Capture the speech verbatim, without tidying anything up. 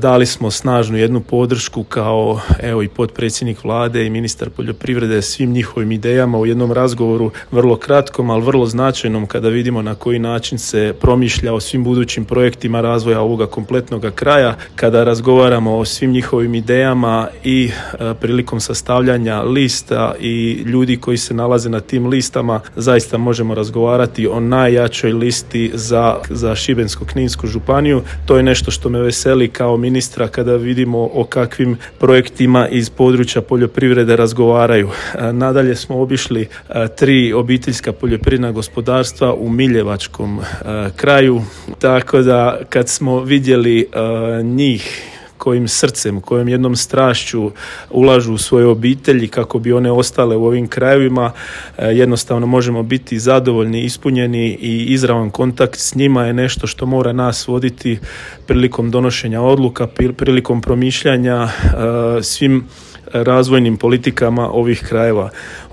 Dali smo snažnu jednu podršku kao evo i potpredsjednik vlade i ministar poljoprivrede svim njihovim idejama u jednom razgovoru vrlo kratkom, ali vrlo značajnom kada vidimo na koji način se promišlja o svim budućim projektima razvoja ovoga kompletnog kraja, kada razgovaramo o svim njihovim idejama i e, prilikom sastavljanja lista i ljudi koji se nalaze na tim listama, zaista možemo razgovarati o najjačoj listi za, za Šibensko-kninsku županiju. To je nešto što me veseli kao ministra kada vidimo o kakvim projektima iz područja poljoprivrede razgovaraju. Nadalje smo obišli tri obiteljska poljoprivredna gospodarstva u Miljevačkom kraju, tako da kad smo vidjeli njih kojim srcem, kojom jednom strašću ulažu u svoje obitelji kako bi one ostale u ovim krajevima, jednostavno možemo biti zadovoljni, ispunjeni i izravan kontakt s njima je nešto što mora nas voditi prilikom donošenja odluka, prilikom promišljanja svim razvojnim politikama ovih krajeva.